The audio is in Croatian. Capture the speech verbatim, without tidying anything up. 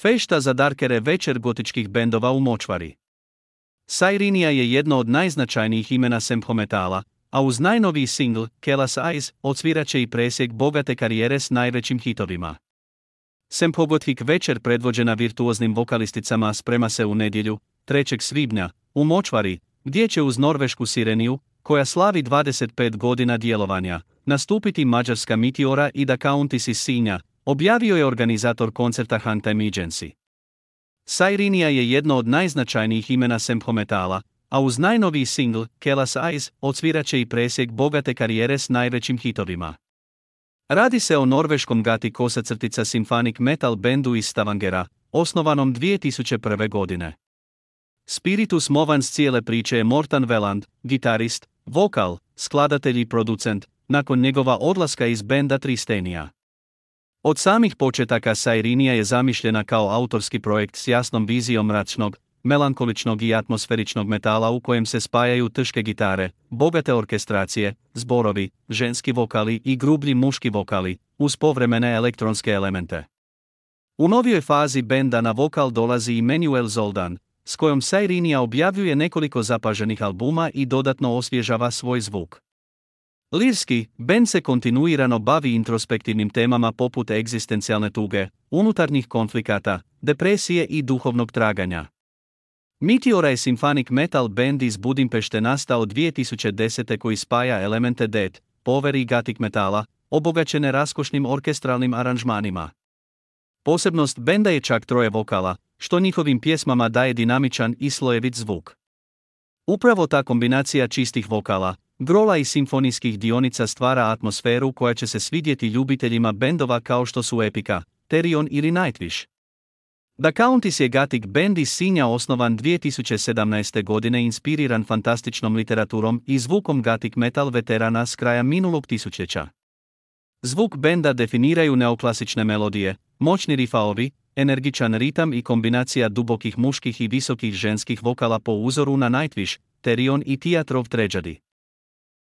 Fešta za darkere večer gotičkih bendova u močvari. Sairinija je jedno od najznačajnijih imena semphometala, a uz najnoviji singl, Kelas Eyes, odsvirat će i presjek bogate karijere s najvećim hitovima. Semphogothik večer predvođena virtuoznim vokalisticama sprema se u nedjelju, trećeg svibnja, u močvari, gdje će uz norvešku Sireniju, koja slavi dvadeset pet godina djelovanja, nastupiti mađarska Meteora i The Countess iz Sinja, objavio je organizator koncerta Huntime Agency. Sairinija je jedno od najznačajnijih imena semphometala, a uz najnoviji singl, Kelas Eyes, odsvirat će i presjek bogate karijere s najvećim hitovima. Radi se o norveškom gati kosacrtica symphonic metal bendu iz Stavangera, osnovanom dvije tisuće prve. godine. Spiritus movans cijele priče je Morten Veland, gitarist, vokal, skladatelj i producent, nakon njegova odlaska iz benda Tristenija. Od samih početaka Sairinija je zamišljena kao autorski projekt s jasnom vizijom mračnog, melankoličnog i atmosferičnog metala u kojem se spajaju teške gitare, bogate orkestracije, zborovi, ženski vokali i grublji muški vokali, uz povremene elektronske elemente. U novijoj fazi benda na vokal dolazi i Manuel Zoldan, s kojom Sairinija objavljuje nekoliko zapaženih albuma i dodatno osvježava svoj zvuk. Lirski, bend se kontinuirano bavi introspektivnim temama poput egzistencijalne tuge, unutarnjih konflikata, depresije i duhovnog traganja. Meteora je symphonic metal band iz Budimpešte nastao dvije tisuće desete koji spaja elemente death, power i gothic metala, obogaćene raskošnim orkestralnim aranžmanima. Posebnost benda je čak troje vokala, što njihovim pjesmama daje dinamičan i slojevit zvuk. Upravo ta kombinacija čistih vokala, grola i simfonijskih dionica stvara atmosferu koja će se svidjeti ljubiteljima bendova kao što su Epica, Therion ili Nightwish. The Countess je gothic band iz Sinja osnovan dvije tisuće sedamnaeste. godine inspiriran fantastičnom literaturom i zvukom gothic metal veterana s kraja minulog tisućljeća. Zvuk benda definiraju neoklasične melodije, moćni rifaovi, energičan ritam i kombinacija dubokih muških i visokih ženskih vokala po uzoru na Nightwish, Therion i Theatre of Tragedy.